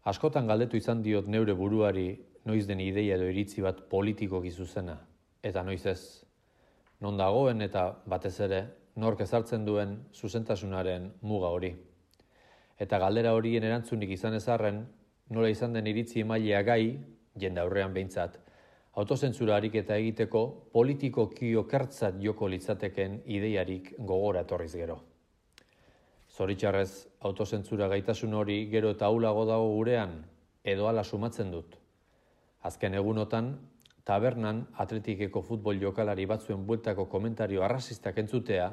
Askotan galdetu izan diot neure buruari noiz den ideia edo iritzi bat politikoki zuzena, eta noiz ez. Non dagoen eta batez ere, nork ezartzen duen zuzentasunaren muga hori. Eta galdera horien erantzunik izan ezarren, nola izan den iritzi emailea gai, jende aurrean behintzat, autozentzura ariketa egiteko politikoki okertzat joko litzateken ideiarik gogora etorriz gero. Zoritxarrez, autozentzura gaitasun hori gero eta ahulago dago gurean, edo hala sumatzen dut. Azken egunotan, tabernan atletikeko futbol jokalari batzuen bueltako komentario arrazistak entzutea,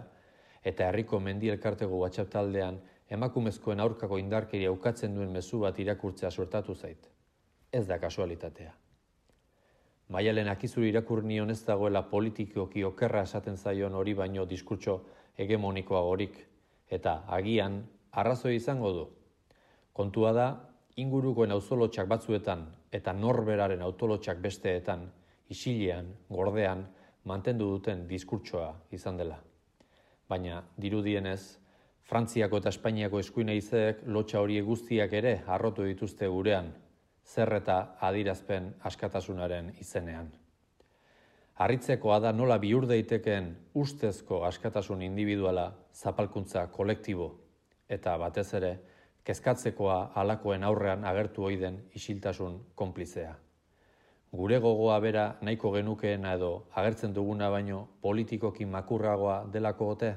eta herriko mendi elkarteko WhatsApp taldean emakumezkoen aurkako indarkeria ukatzen duen mezu bat irakurtzea suertatu zait. Ez da kasualitatea. Maialen akizuri irakur nion ez dagoela politikoki okerra esaten zaion hori baino diskurtso hegemonikoagorik, eta agian arrazoi izango du. Kontua da, ingurukoen auzolotxak batzuetan eta norberaren autolotxak besteetan, isilean, gordean, mantendu duten diskurtsoa izan dela. Baina, dirudienez, Frantziako eta Espainiako eskuin haizeek lotxa horiek guztiak ere harrotu dituzte gurean, zer eta adirazpen askatasunaren izenean. Harritzekoa da nola bihur daitekeen ustezko askatasun individuala zapalkuntza kolektibo, eta batez ere, kezkatzekoa halakoen aurrean agertu ohi den isiltasun konplizea. Gure gogoa bera nahiko genukeena edo agertzen duguna baino politikoki makurragoa delako ote?